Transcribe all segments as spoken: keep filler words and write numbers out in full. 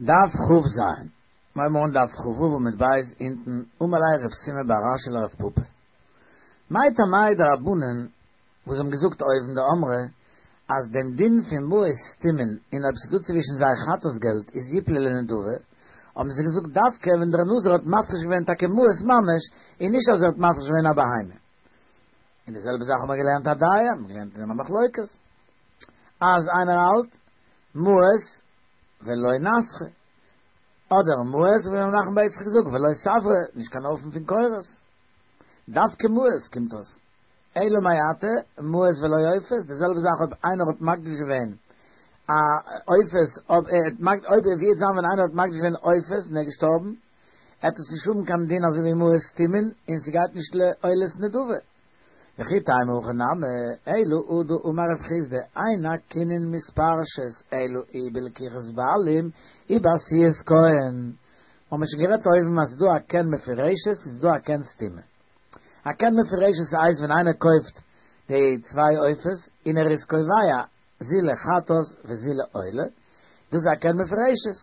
דף כ"ז, מיר הייבן אן דף כ"ו עמוד ב' אונטן, אמר ליה רב סימא בר אשי לרב פפא. מאי טעמייהו דרבנן וואס האבן געזאגט אויבן דאמרי אז דעם דין פון מעות סתומין און אויב ס'דא צווישן זיי חטאת געלט איז יפלו לנדבה, האבן זיי געזאגט דווקא ווען דער נזיר האט מפריש געווען טאקע מעות ממש און נישט אז ער האט מפריש געווען א בהמה. און די זעלבע זאך האבן מיר געלערנט אודאי האבן מיר געלערנט אין דעם א מחלוקת אז איינער האלט מעות ולא נסכא אדער מעות ווי רב נחמן בר יצחק זאגט ולא סברא נישט קיין אופן פון כורת דווקא מעות קומט אויס אלא מעתה מעות ולא עופות די זעלבע זאך אויב איינער האט מקדיש געווען א עופות אויב ער האט אויב ווי וועט זיין ווען איינער האט מקדיש געווען עופות און ער איז געשטארבן עט עס נישט האבן קיין דין אזוי ווי מעות סתומין און ס'גייט נישט לעולת נדבה. וכי תימא הכי נמי, אלא הא דאמר רב חסדא, אין הקנין מתפרשות אלא אי בלקיחת בעלים אי בעשיית כהן. מ'האמיר שוין גערעדט אויבן אז ס'איז דא א קן מפורשת און ס'איז דא א קן סתומה. א קן מפורשת הייסט ווען איינער קויפט די צוויי עופות און ער איז קובע זו לחטאת וזו לעולה, דאס איז א קן מפורשת.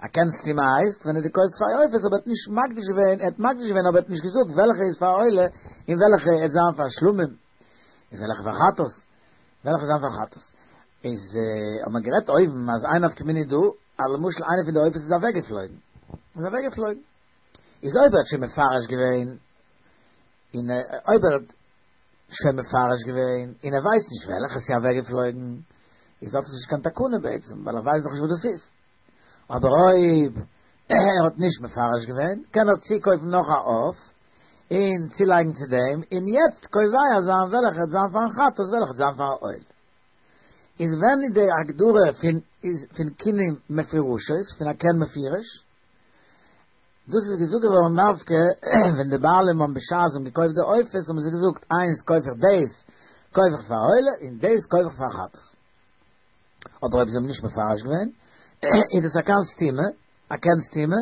א קן סתומה הייסט ווען ער האט געקויפט צוויי עופות אבער האט נישט מקדיש געווען, ער האט מקדיש געווען אבער האט נישט געזאגט וועלכע איז פאר עולה און וועלכע עט זיין פאר שלמים איז וועלכע פאר חטאת וועלכע זיין פאר חטאת איז האט מען גערעדט אויבן אז איין נפקא מינה איז דא אז למשל איינע פון די עופות איז אוועקגעפלויגן איז אוועקגעפלויגן איז אויב ער האט שוין מפרש געווען און אויב ער האט שוין מפרש געווען און ער ווייסט נישט וועלכע ס'איז אוועקגעפלויגן איז האט עס נישט קיין תקנה בעצם ווייל ער ווייסט דאך נישט וואס דאס איז. אבער אויב ער האט נישט מפרש געווען, קען ער צוקויפן נאך א עוף, און צולייגן צו דעם, און יעצט קובע זיין וועלכע וועט זיין פארן חטאת וועלכע וועט זיין פארן עולה. איז ווען איז די הגדרה פון פון קינים מפורשות, פון א קן מפורש? דאס איז געזאגט געווארן דווקא ווען די בעלים האבן בשעת זיי האבן געקויפט די עופות האבן זיי געזאגט איינס קויף איך דאס קויף איך פאר עולה און דאס קויף איך פאר חטאת. אבער אויב זיי האבן נישט מפרש געווען, איז דאס א קן סתומה, א קן סתומה,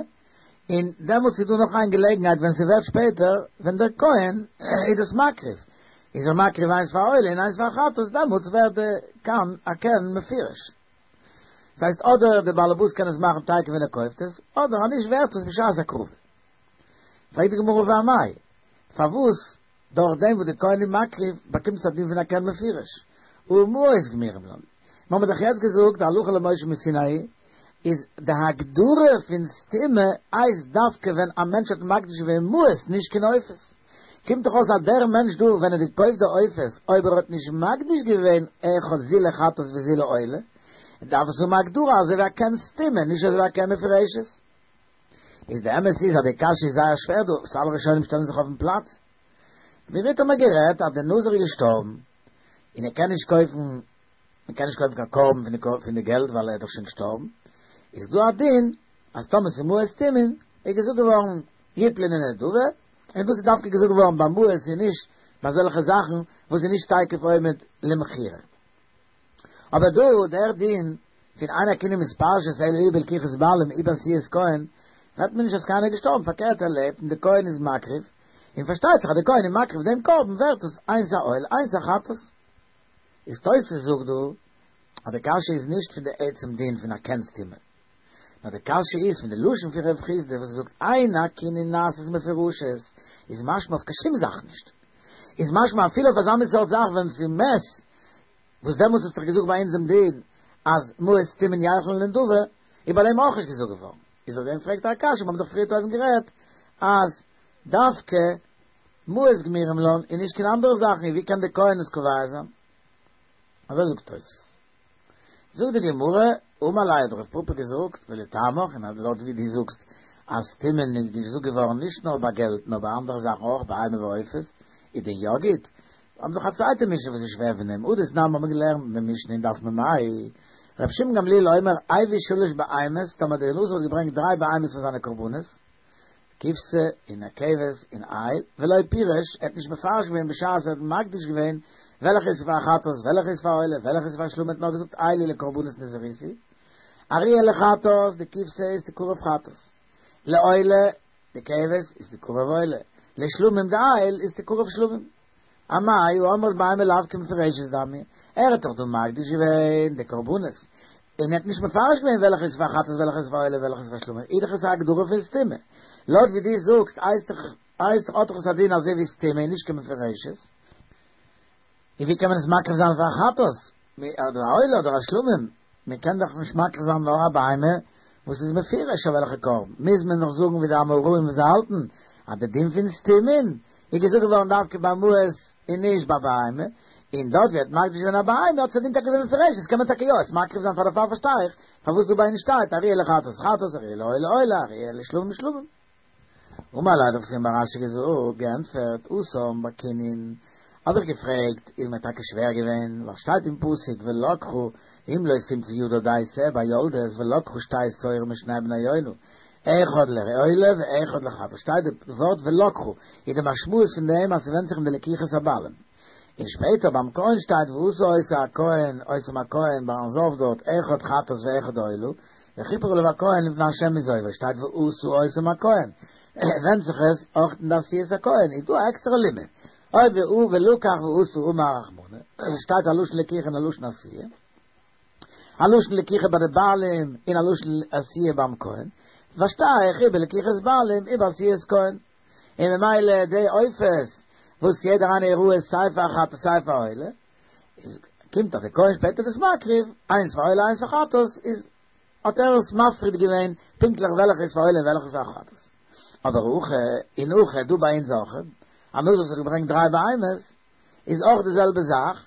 און דעמאלטס איז דא נאך איין געלעגנהייט ווען ס'ווערט שפעטער, ווען דער כהן איז דאס מקריב, איז ער מקריב איינס פאר עולה און איינס פאר חטאת, דעמאלטס ווערט די קן א קן מפורש. דאס הייסט אדער דער באלעבאס קען עס מאכן תיכף ווען ער קויפט עס, אדער אז נישט ווערט עס בשעת הקרבה. פרעגט די גמרא ואמאי, פארוואס דורך דעם וואס די כהן איז מקריב באקומט עס א דין פון א קן מפורש, הא מעות גמירים לן. מיר האבן דאך יעצט געזאגט די הלכה למשה מסיני איז די הגדרה פון סתומה הייסט דווקא ווען א מענטש האט מקדיש געווען מעות נישט קיין עופות. קומט דאך אויס אז דער מענטש דא ווען ער האט געקויפט די עופות אויב ער האט נישט מקדיש געווען אחד זו לחטאת וזו לעולה דארף עס האבן א הגדרה אזוי ווי א קן סתומה נישט אזוי ווי א קן מפורשת. איז די אמת איז אז די קשיא איז זייער שווער דא, וואס אלע ראשונים שטעלן זיך אויפן פלאץ. ווי ווערט האט מען גערעדט אז די נזיר איז געשטארבן און ער קען נישט קויפן, מען קען נישט קויפן קיין קרבן פון די פון די געלט ווייל ער איז דאך שוין געשטארבן, איז דא א דין אז טאמער ס'איז מעות סתומין איז געזאגט געווארן יפלו לנדבה, און דאס איז דווקא געזאגט געווארן ביי מעות און נישט ביי אזעלכע זאכן וואס איז נישט תיכף עומד למכירה. אבער דא דער דין פון אין הקנין מתפרשות אלא אי בלקיחת בעלים אי בעשיית כהן, רעדט מען נישט אז קיינער איז געשטארבן, פארקערט ער לעבט און די כהן איז מקריב, און פארשטייט זיך אז די כהן איז מקריב דעם קרבן ווערט עס איינס א עולה איינס א חטאת. איז תוס' זאגט דא אז די קשיא איז נישט פון די עצם דין פון א קן סתומה, נאר די קשיא איז פון די לשון פון רב חסדא וואס ער זאגט אין הקנין נעשית מפורשות איז משמע אויף קיין שום זאך נישט, איז משמע אפילו אויף אזא מין סארט זאך ווען ס'איז מת וואס דעמאלטס האסטו דאך געזאגט ביי אונז דעם דין אז מעות סתומין ילכו לנדבה, איז ביי דעם אויך נישט געזאגט געווארן. איז אויף דעם פרעגט ער א קשיא, מיר האבן דאך פריערט אויבן גערעדט אז דווקא מעות גמירים לן און נישט קיין אנדערע זאכן, און ווי קען די כהן עס קובע זיין? אזוי זאגט תוספות. זאגט די גמרא, אמר ליה האט רב פפא געזאגט, ולטעמיך, און לויט ווי דו זאגסט אז סתומין איז געזאגט געווארן נישט נאר ביי געלט נאר ביי אנדערע זאכן אויך, בהמה ועופות, איז דען יא גוט? האבן דאך א צווייטע משנה וואס איז שווער פון דעם, הא דתנן האבן מיר געלערנט אין די משנה אין דף מ"ה, ר' שמעון גמליאל אומר הביא שלש בהמות, טאמער דער נזיר האט געברענגט דריי בהמות פאר זיינע קרבנות, כבשה און א כבש און איל, ולא פירש, ער האט נישט מפרש געווען בשעת ער האט מקדיש געווען וועלכע איז פאר חטאת, וועלכע איז פאר עולה, וועלכע איז פאר שלמים, האט נאר געזאגט אלו לקרבנות נזירותי, הראויה לחטאת, די כבשה איז תקרב חטאת, לעולה, די כבש איז תקרב עולה, לשלמים די איל איז תקרב שלמים. אמאי האמרת בהמה לאו כמפורשת דמיא, ער האט דאך דא מקדיש געווען די קרבנות, און ער האט נישט מפרש געווען וועלכע איז פאר חטאת וועלכע איז פאר עולה וועלכע איז פאר שלמים, איז דאך עס א הגדרה פון סתומה. לויט ווי דו זאגסט הייסט דאך הייסט דאך האט דאך עס א דין אזוי ווי סתומה און נישט קיין מפורשת. און ווי קען מען עס מקריב זיין פאר חטאת? אדער א עולה אדער א שלמים? מען קען דאך נישט מקריב זיין נאר א בהמה וואס איז מפורש אויף וועלכע קרבן. מוז מען דאך זאגן ווי די אמוראים וואס זיי האלטן אז די דין פון סתומין איז געזאגט געווארן דווקא ביי מעות און נישט ביי בהמה, און דארט ווי ער האט מקדיש געווען א בהמה האט עס א דין טאקע ווי מפורשת, קען מען טאקע יא עס מקריב זיין פאר דערפאר פארשטיי איך פארוואס דא ביי אונז שטייט הראויה לחטאת חטאת הראויה לעולה עולה הראויה לשלמים שלמים. אמר ליה האט רב שימי בר אשי געזאגט, געענטפערט, התם בקינין, האב איך געפרעגט, איז מיר טאקע שווער געווען, ווייל שטייט אין פסוק ולקחה אם לא תמצא ידה די שה ביולדת ולקחה שתי תורים משני בני יונה, אחד לעולה ואחד לחטאת, שטייט די ווארט ולקחה, איז די משמעות פון דעם אז ס'ווענדט זיך אין די לקיחת הבעלים. און שפעטער ביים כהן שטייט ועשה אותה הכהן אותם הכהן ביים זב דארט אחד חטאת ואחד עולה, וכיפר עליו הכהן לפני ה' מזובו, שטייט ועשה אותם הכהן, ווענדט זיך עס אויך אין די עשיית הכהן, איז דא א עקסטערע לימוד, אויב ולקח ועשה אמר רחמנא, שטייט א לשון לקיחה און א לשון עשיה. א לשון לקיחה ביי די בעלים און א לשון עשיה ביים כהן, פארשטיי איך אי בלקיחת בעלים אי בעשיית כהן, און ממילא די עופות וואס יעדער איינער איז ראוי סיי פאר חטאת סיי פאר עולה, איז קומט אז די כהן שפעטער דאס מקריב, איינס פאר עולה איינס פאר חטאת, איז האט ער עס מפריד געווען פונקטליך וועלכע איז פאר עולה און וועלכע איז פאר חטאת. אבער הכא און הכא דא ביי אונז אויך, א נזיר וואס האט געברענגט דריי בהמות, איז אויך די זעלבע זאך,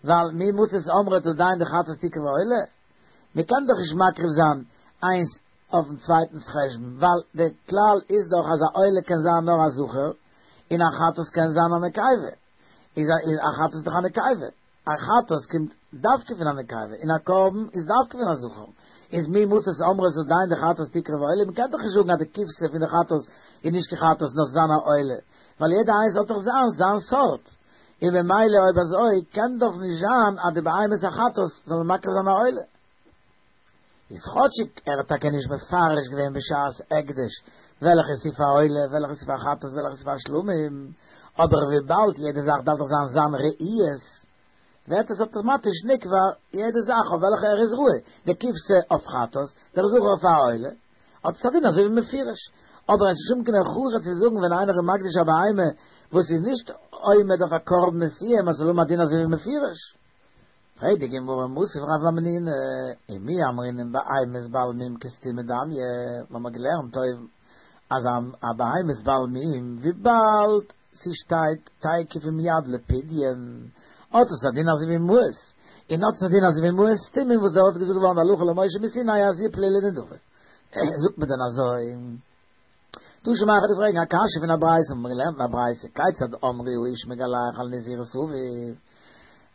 ווייל מי מצית אמרת עדיין דחטאת תקרב עולה, מען קען דאך נישט מקריב זיין איינס אויפן צווייטנס חשבון, ווייל די כלל איז דאך אז א עולה קען זיין נאר א זכר, און א חטאת קען זיין א נקבה, איז א חטאת דאך א נקבה, א חטאת קומט דווקא פון א נקבה, און א קרבן איז דווקא פון א זכר, איז מי מצית אמרת עדיין דחטאת תקרב עולה, מען קען דאך נישט זאגן אז די כבשה פון די חטאת איז נישט קיין חטאת נאר ס'זיין א עולה, ווייל יעדע איינס האט דאך זיין זיין סארט, און ממילא אויב אזוי קען דאך נישט זיין אז די בהמת החטאת זאל מען מקריב זיין א עולה. איז כאטשיג ער האט טאקע נישט מפרש געווען בשעת הקדש וועלכע ס'איז פאר עולה וועלכע ס'איז פאר חטאת וועלכע ס'איז פאר שלמים, אבער וויבאלד יעדע זאך דארף דאך זיין זיין ראיות ווערט עס אטאמאטיש נקבע יעדע זאך אויף וועלכע ער איז ראוי, די כבשה אויף חטאת, דער זכר אויף א עולה, האט עס א דין אזוי ווי מפורש. אבער עס איז נישט קיין הוכחה צו זאגן ווען איינער איז מקדיש א בהמה וואס איז נישט עומד אויף א קרבן מסוים אז ס'זאל האבן א דין אזוי ווי מפורש. פרעגט די גמרא מתיב רב המנונא, ומי אמרינן בהמת בעל מום כסתומה דמיא, מיר האבן געלערנט אויבן אז א בהמת בעל מום וויבאלד ס'שטייט תיכף ומיד לפדיון האט עס א דין אזוי ווי מעות, און האט עס א דין אזוי ווי מעות סתומים וואס דארט איז געזאגט געווארן די הלכה למשה מסיני אז יפלו לנדבה. זאגט מען דען אזוי? תא שמע כ'וועל דיר פרעגן א קשיא פון א ברייתא, האבן מיר געלערנט אין א ברייתא, כיצד אמרו האיש מגלח על נזירות אביו,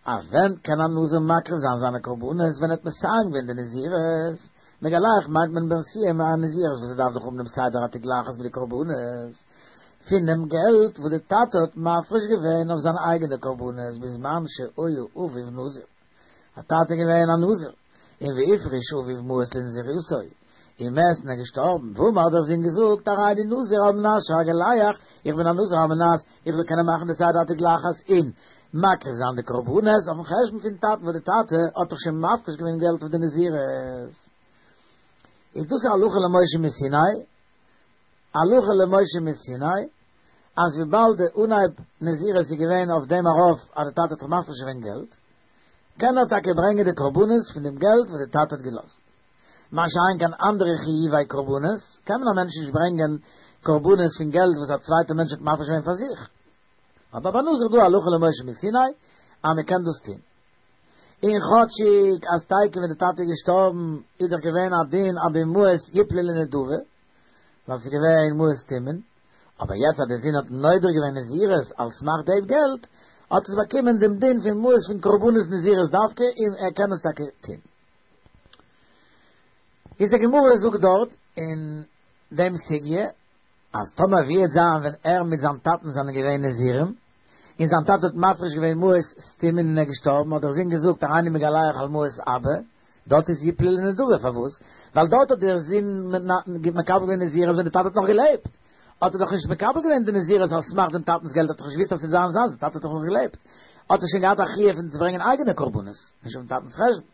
אז ווען קען א נזיר מקריב זיין זיינע קרבנות ווען ער האט מסיים געווען די נזירות, מגלח מיינט מען ביים סיום הנזירות וואס ער דארף דאך האבן דעם סדר התגלחת מיט די קרבנות, פונעם געלט וואס די טאטע האט מפריש געווען אויף זיינע אייגענע קרבנות בזמן שהיה אביו נזיר. א טאטע געווען א נזיר, און והפריש אביו מעות לנזירותו, ומת און ער געשטארבן, ואמר האט דער זון געזאגט, הריני נזיר על מנת שאגלח, איך בין א נזיר על מנת איך זאל קענען מאכן די סדר התגלחת און מקריב זיין די קרבנות אויפן חשבון פון טאטן וואס די טאטע האט דאך שוין מפריש געווען געלט אויף די נזירות. איז דאס א הלכה למשה מסיני? הלכה למשה מסיני אז וויבאלד די אנהייב נזירות איז געווען אויף דעם ארויף אז די טאטע האט דאך מפריש געווען געלט, קען ער טאקע ברענגען די קרבנות פון דעם געלט וואס די טאטע האט געלאזט. מה שאין כן אנדערע חיובי קרבנות, קען מען א מענטש נישט ברענגען קרבנות פון געלט וואס א צווייטער מענטש האט מפריש געווען פאר זיך. אבער ביי נזיר איז דא הלכה למשה מסיני אז מען קען דאס טון. און כאטשיג אז תיכף ווען די טאטע איז געשטארבן איז דאך געווען א דין אז די מעות יפלו לנדבה, ווייל ס'איז געווען מעות סתומין, אבער יעצט אז דער זון האט נודר געווען נזירות על סמך דעם געלט, האט עס באקומען דעם דין פון מעות פון קרבנות נזירות דווקא און ער קען עס טאקע טון. איז די גמרא זאגט דארט אין דעם סוגיא אז טאמער ווי וועט זיין ווען ער מיט זיין טאטן זענען געווען נזירים, און זיין טאטע האט מפריש געווען מעות סתומין און ער איז געשטארבן, האט דער זון געזאגט הריני מגלח על מעות אבא, דארט איז יפלו לנדבה, פארוואס? ווייל דארט האט דער זון מקבל געווען נזירות ווען די טאטע האט נאך געלעבט, האט ער דאך נישט מקבל געווען די נזירות על סמך דעם טאטנ'ס געלט, האט דאך נישט געוואוסט אז ס'איז זיין זיינס, די טאטע האט דאך נאך געלעבט, האט ער שוין געהאט א חיוב פון צו ברענגען אייגענע קרבנות, נישט אויפן טאטנ'ס חשבון.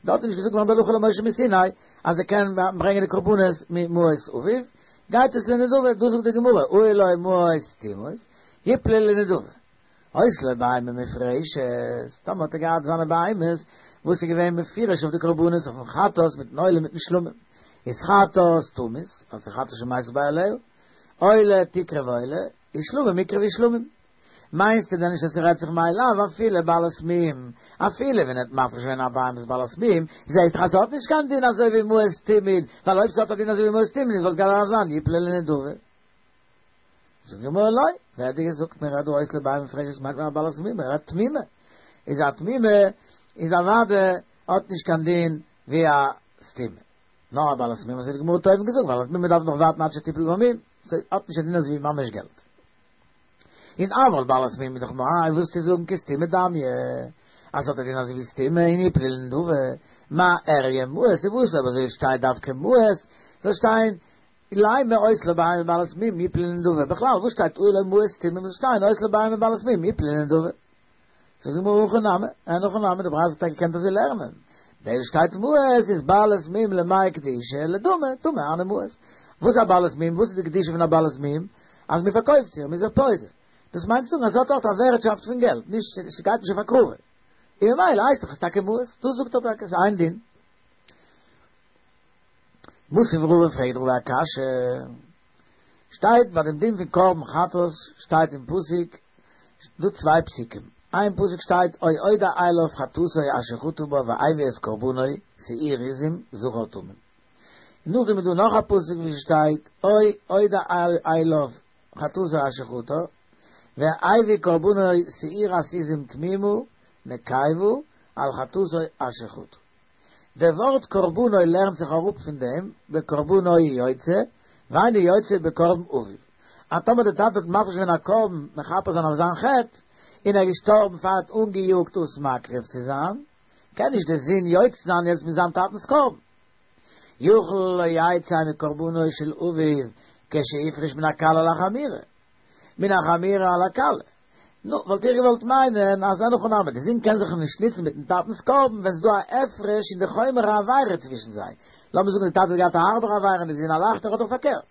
דארט איז נישט געזאגט געווארן בהלכה למשה מסיני אז ער קען ברענגען די קרבנות ממעות אביו, גייט עס לנדבה, דא זאגט די גמרא, היו לו מעות סתומות, יפלו לנדבה. היתה לו בהמה מופרשת, טאמער האט ער געהאט זיינע בהמות וואס איז געווען מפורש אויף די קרבנות אויפן חטאת מיטן עולה מיטן שלמים, איז חטאת תמות, ווייל ס'איז חטאת שמתו בעליה, עולה תקרב עולה, איז שלמים יקרבו שלמים. מיינסטו דען נישט אז ס'רעדט זיך מאי לאו אפילו בעלת מום, אפילו ווען ער האט מפריש געווען א בהמה בעלת מום, זעהסט דאך אז ס'האט נישט קיין דין אזוי ווי מעות תמיד, ווייל אויב ס'האט א דין אזוי ווי מעות תמיד וואלט געדארפט זיין יפלו לנדבה. זאגט די גמרא לא, ווער האט דיר געזאגט מען רעדט דא היתה לו בהמה מופרשת מיינט מען א בעלת מום, מען רעדט תמימה, איז א תמימה איז אוודאי האט נישט קיין דין ווי א סתומה, נאר א בעלת מום אזוי האט די גמרא אויבן געזאגט בעלת מום דארף נאך ווארטן עד שתיפול במום, ס'האט נישט א דין אזוי ווי ממש געלט. און אבל בעלת מום איז דאך מאי וועסטו זאגן כסתומה דמיא אז ס'האט א דין אזוי ווי סתומה און יפלו לנדבה, מה איריא מעות איז וואס אויב אזוי שטייט דווקא מעות זאל שטיין לימא היתה לו בהמה בעלת מום יפלו לנדבה בכלל וואס שטייט היו לו מעות סתומים זאל שטיין היתה לו בהמה בעלת מום יפלו לנדבה זאגט די גמרא הכי נמי אין הכי נמי די ברייתא האט טאקע געקענט אזוי לערנען דאס שטייט מעות איז בעלת מום למאי קדישא לדמי דמי הני מעות וואס איז א בעלת מום וואס איז די קדושה פון א בעלת מום אז מען פארקויפט איר מען איז איר פודה דאס מיינט צו זאגן אז זי האט אויך א ווערטשאפט פון געלט נישט ס'גייט נישט אויף הקרבה און ממילא הייסט דאך עס טאקע מעות דאס זאגט ער טאקע ס'איז איין דין מתיב רבא פרעגט רבא א קשיא, שטייט ביי דעם דין פון קרבן חטאת שטייט אין פסוק דא צוויי פסוקים, איין פסוק שטייט או הודע אליו חטאתו אשר חטא בה והביא את קרבנו שעיר עזים זכר תמים, און נאכדעם איז דא נאך א פסוק ווי ס'שטייט או הודע אליו חטאתו אשר חטא והביא קרבנו שעירת עזים תמימה נקבה על חטאתו אשר חטא. דער ווארט קרבנו לערנט זיך אראפ פון דעם בקרבנו הוא יוצא, ואינו יוצא בקרבן אביו. אז טאמער דער טאטע האט מפריש געווען א קרבן מכפר זיין אויף זיין חטא, און ער איז געשטארבן פאר ער האט אנגעיאגט דאס מקריב צו זיין, קען נישט דער זון יוצא זיין יעצט מיט זיין טאטנ'ס קרבן. יכול לא יצא מקרבנו של אביו כשהפריש מן הקלה על החמורה, מן החמורה על הקלה. נו, וואלט איך געוואלט מיינען אז אין הכי נמי, די זון קען זיך נישט נוצן מיטן טאטנ'ס קרבן ווען ס'איז דא א הפרש אין די חומר העבירה צווישן זיי. לאמיר זאגן די טאטע האט געהאט א הארבערע עבירה און די זון א לייכטערע אדער פארקערט.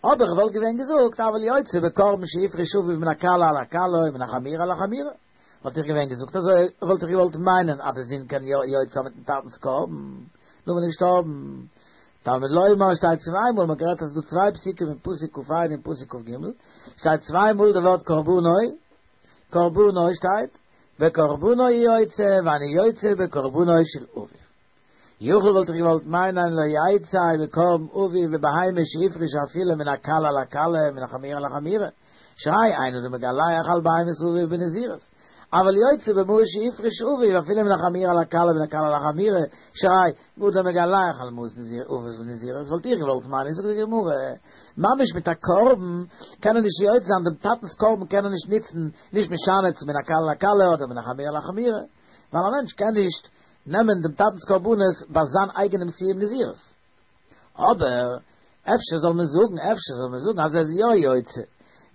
אבער איך וואלט געווען געזאגט אבל יוצא בקרבן שהפריש אביו מן הקלה על הקלה או מן החמורה על החמורה. וואלט איך געווען געזאגט אזוי וואלט איך געוואלט מיינען אז די זון קען יא יוצא זיין מיטן טאטנ'ס קרבן נאר ווען ער איז געשטארבן. תלמוד לומר שטייט צוויי מאל, מ'האט גערעדט אז ס'איז דא צוויי פסוקים אין פסוק כ"ה און פסוק כ"ג, שטייט צוויי מאל די ווארט קרבנו, קרבנו שטייט, בקרבנו הוא יוצא ואינו יוצא בקרבנו של אביו. יכול וואלט איך געוואלט מיינען לא יצא בקרבן אביו בבהמה שהפריש אפילו מן הקלה על הקלה מן החמורה על החמורה, שהרי אין אדם מגלח על בהמת אביו בנזירות, אבל יוצא במעות שהפריש אביו אפילו מן החמורה על הקלה ומן הקלה על החמורה, שהרי אדם מגלח על מעות אביו בנזירות, וואלט איך געוואלט מיינען, זאגט די גמרא, ממש מיט א קרבן קען ער נישט יוצא זיין, דעם טאטנ'ס קרבן קען ער נישט נוצן, נישט משנה צו מן הקלה על הקלה אדער מן החמורה על החמורה, ווייל א מענטש קען נישט נעמען דעם טאטנ'ס קרבנות ביי זיין אייגענעם סיום נזירות. אבער אפשר זאל מען זאגן, אפשר זאל מען זאגן אז ער איז יא יוצא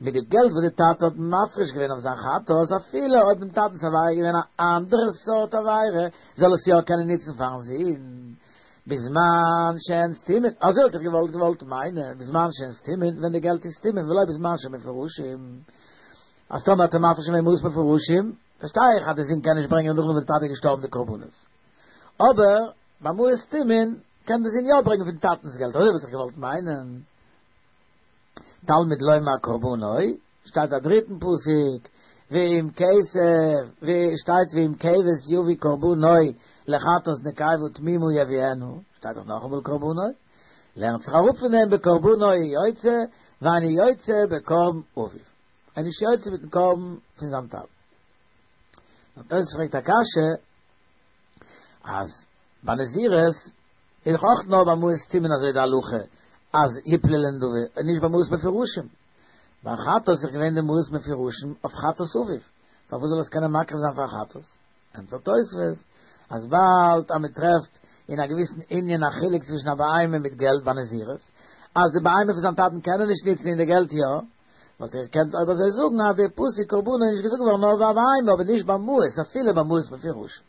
מיט די געלט וואס די טאטע האט מפריש געווען אויף זיין חטאת, אפילו אויב דעם טאטנ'ס עבירה איז געווען א אנדערע סארט עבירה, זאל עס יא קענען נוצן פארן זון, בזמן שהן סתומין, אזוי וואלט איך געוואלט געוואלט מיינען, בזמן שהן סתומין, ווען די געלט איז סתומין, ולא בזמן שהן מפורשים. אז טאמער האט ער מפריש געווען מעות מפורשים, פארשטיי איך אז די זון קען נישט ברענגען נאכדעם וואס די טאטע איז געשטארבן די קרבנות. אבער ביי מעות סתומין קען די זון יא ברענגען פון טאטנ'ס געלט, אזוי וואלט איך געוואלט מיינען. תלמוד לומר קרבנו, שטייט א דריטן פסוק, ואם כסף, ווי שטייט ואם כבש יביא קרבנו לחטאת נקבה תמימה יביאנה, שטייט דאך נאכאמאל קרבנו, לערנט זיך אראפ פון דעם בקרבנו יוצא, ואינו יוצא בקרבן אביו. ער איז נישט יוצא מיטן קרבן פון זיין טאטן. נאר תוס' פרעגט א קשיא, אז ביי נזירות איז דאך אויך נאר ביי מעות סתומין אזוי די הלכה אז יפלו לנדבה און נישט ביי מעות מפורשים. ביי חטאת איז דאך געווען די מעות מפורשים אויף חטאת אביו, פארוואס זאל עס קענען מקריב זיין פאר חטאת? ענטפערט תוספות אז באלד אז מען טרעפט אין א געוויסן ענין א חילוק צווישן א בהמה מיט געלט ביי נזירות, אז די בהמה פון זיין טאטן קען ער נישט נוצן און די געלט יא, וואלט איך געקענט אויב אזוי זאגן אז די פסוק קרבנו איז נישט געזאגט געווארן נאר ביי א בהמה אבער נישט ביי מעות אפילו ביי מעות מפורשים.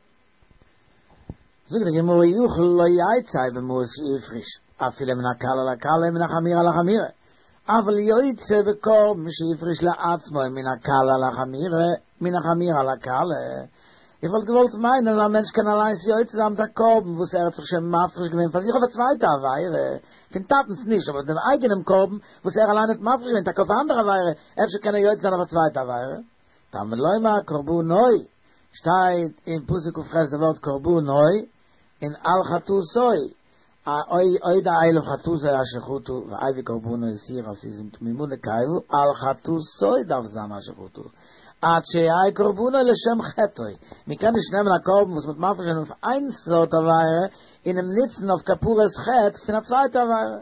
זאגט די גמרא יכול לא יצא במעות שהפריש, אפילו מן הקלה לקלה מן החמורה לחמורה, אבל יוצא בקרבן שהפריש לעצמו מן הקלה לחמורה, מן החמורה לקלה. איך וואלט געוואלט מיינען, אז א מענטש קען אליין יוצא זיין מיט א קרבן, וואס ער האט זיך שוין מפריש געווען פאר זיך אויף א צווייטע עבירה, פון טאטנס נישט, אבער דעם אייגענעם קרבן, וואס ער אליין האט מפריש געווען, טאקע אויף אן אנדערע עבירה, אפשר קען ער יוצא זיין אויף א צווייטע עבירה. תלמוד לומר קרבנו, שטייט אין פסוק כ"ח דער ווארט קרבנו, און על חטאתו, אודע אליו חטאתו אשר חטא, והביא קרבנו שעיר עזים תמימה נקבה, על חטאתו דארף זיין אשר חטא. עד שיהא קרבנו לשם חטאו. מען קען נישט נעמען א קרבן וואס מ'האט מפריש געווען אויף איין סארט עבירה און אים ניצן אויף כפרת חטא פון א צווייטע עבירה.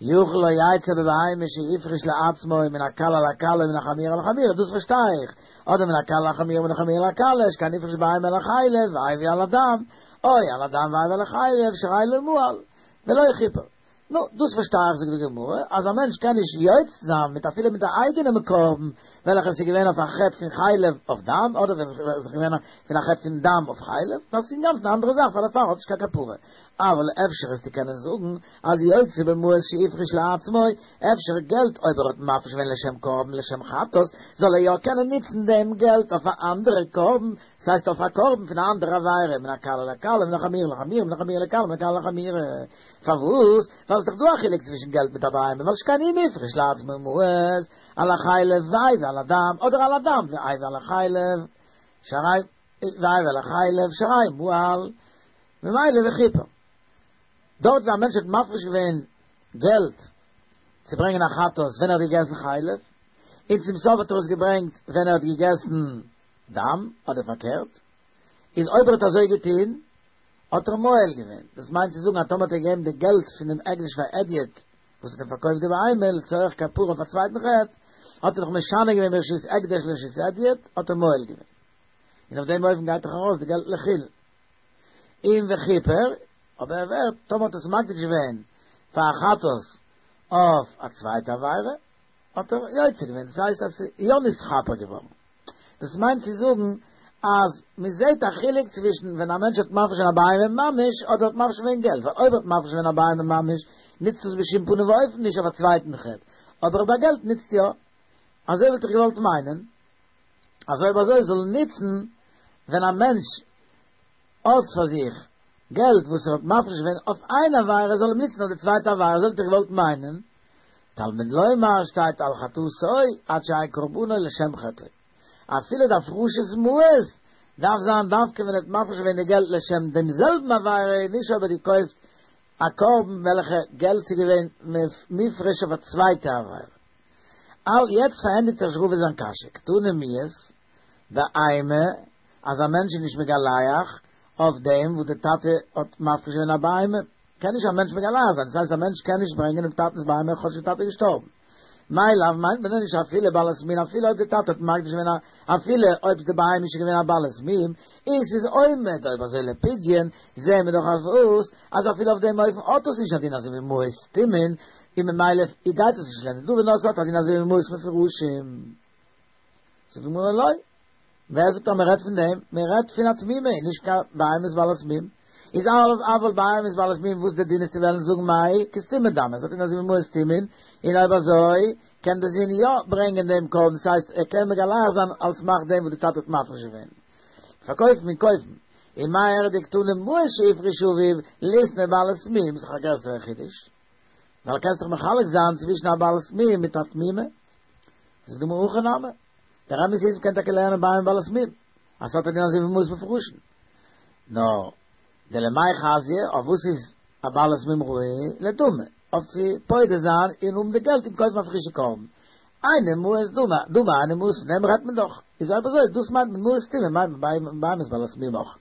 יכול לא יצא בבהמה שהפריש לעצמו מן הקלה לקלה ומן החמורה לחמורה, דאס פארשטיי איך. אדער מן הקלה לחמורה ומן החמורה לקלה, שכן הפריש בהמה על החלב והביא על הדם, או על הדם והביא על החלב, שהרי לא מעל, ולא כיפר. נו, דאס פארשטיי איך, זאגט די גמרא, אז א מענטש קען נישט יוצא זיין מיט אפילו מיט א אייגענעם קרבן, וועלכער איז געווען אויף א חטא פון חלב אויף דם, אדער ווען עס איז געווען פון א חטא פון דם אויף חלב, דאס איז אינגאנצן א אנדערע זאך, ווייל דערפאר האט נישט קיין כפרה. אבל אפשר וועסטו קענען זאגן, אז יוצא במעות שהפריש לעצמו, אפשר געלט אויב ער האט מפריש געווען לשם קרבן לשם חטאת, זאל ער יא קענען ניצן דעם געלט אויף א אנדערע קרבן, דאס הייסט אויף א קרבן פון א אנדערע עבירה, מן הקלה לקלה, מן החמורה לחמורה, מן החמורה לקלה, מן הקלה לחמורה. פארוואס? ווייל ס'איז דאך דא א חילוק צווישן געלט מיט א בהמה, ווייל שכן אם הפריש לעצמו מעות, על החלב והביא על הדם, אדער על הדם והביא על החלב, שהרי והביא על החלב, שהרי מעל, ממילא וכיפר. דארט וואו א מענטש האט מפריש געווען געלט צו ברענגען א חטאת ווען ער האט געגעסן חלב, און צום סוף האט ער עס געברענגט ווען ער האט געגעסן דם, אדער פארקערט, איז אויב ער האט אזוי געטון, האט ער מועל געווען. דאס מיינט צו זאגן אז טאמער האט ער געגעבן די געלט פון דעם הקדש פאר הדיוט וואס האט אים פארקויפט די בהמה לצורך כפרה אויף א צווייטן חטא, האט ער דאך משנה געווען מרשות הקדש לרשות הדיוט, האט ער מועל געווען. און אויף דעם אופן גייט דאך ארויס די געלט לחולין. און וכיפר, אבער ער ווערט, טאמער האט עס מקדיש געווען פאר א חטאת אויף א צווייטע עבירה, האט ער יוצא געווען, דאס הייסט אז ס'איז יא נתכפר געווארן. דאס מיינט צו זאגן אז מען זעט א חילוק צווישן ווען א מענטש האט מפריש געווען א בהמה ממש אדער האט מפריש געווען געלט, ווייל אויב האט מפריש געווען א בהמה ממש נוצט עס בשום פנים ואופן נישט אויף א צווייטן חטא, אבער ביי געלט נוצט יא. אזוי וואלט איך געוואלט מיינען אז אויב אזוי זאל נוצן ווען א מענטש האט פאר זיך געלט וואס ער האט מפריש געווען אויף איין עבירה זאל אים נוצן אויף די צווייטע עבירה, אזוי וואלט איך געוואלט מיינען. תלמוד לומר שטייט על חטאתו עד שיהא קרבנו לשם חטאו. אפילו די הפרשת מעות דארף זיין דווקא ווען ער האט מפריש געווען די געלט לשם דעם זעלבן עבירה, נישט אויב ער האט געקויפט א קרבן וועלכע געלט איז געווען מופרש אויף א צווייטע עבירה. אל יעצט פארענדיגט זיך רבא זיין קשיא, קתני מיהת באימא אז א מענטש איז נישט מגלח אויף דעם וואס די טאטע האט מפריש געווען א בהמה, קען נישט א מענטש מגלח זיין, דאס הייסט א מענטש קען נישט ברענגען דעם טאטנ'ס בהמה כאטש די טאטע איז געשטארבן. מאי לאו מיינט מען דען נישט אפילו בעלת מין אפילו אויב די טאטע האט מקדיש געווען א אפילו אויב די בהמה איז שוין געווען א בעלת מום און ס'איז עומד אויב אזוי לפדיון זעהן מיר דאך אז וואס אז אפילו אויף דעם אופן האט עס נישט א דין אזוי ווי מעות סתומים און ממילא גייט עס נישט לנדבה נאר ס'האט א דין אזוי ווי מעות מפורשים. זאגט די גמרא לא. ווער זאגט אז מען רעדט פון דעם? מען רעדט פון א תמימה און נישט קיין בהמות בעלת מום. איז אבל אבל בהמות בעלת מום וואס די דין איז צו וועלן זאגן מאי כסתומין דמי, עס האט א דין אזוי ווי מעות סתומין, און אויב אזוי קען די זון יא ברענגען דעם קרבן, דאס הייסט ער קען מגלח זיין על סמך דעם וואס די טאטע האט מפריש געווען. פארקויפן און קויפן. און מאי איריא דקתני מעות שהפריש אביו ליתני בעלת מום, איז דאך א גרעסערע חידוש. ווייל קענסט דאך מחלק זיין צווישן א בעלת מום מיט א תמימה. זאגט די גמרא הכי נמי. דער אמת איז מ'קען טאקע לערנען בהמה בעלת מום, אז ס'האט א דין אזוי ווי מעות מפורשין. נאר דלמאי חזיא, אויף וואס איז א בעלת מום ראוי? לדמי, אויף צו פודה זיין און האבן די געלט און קויפן א פרישע קרבן. היינו מעות דמי, דמי היינו מעות, פון דעם רעדט מען דאך. איז אויב אזוי, דאס מיינט מען מעות סתומים, מיינט מען בהמות בעלת מום אויך.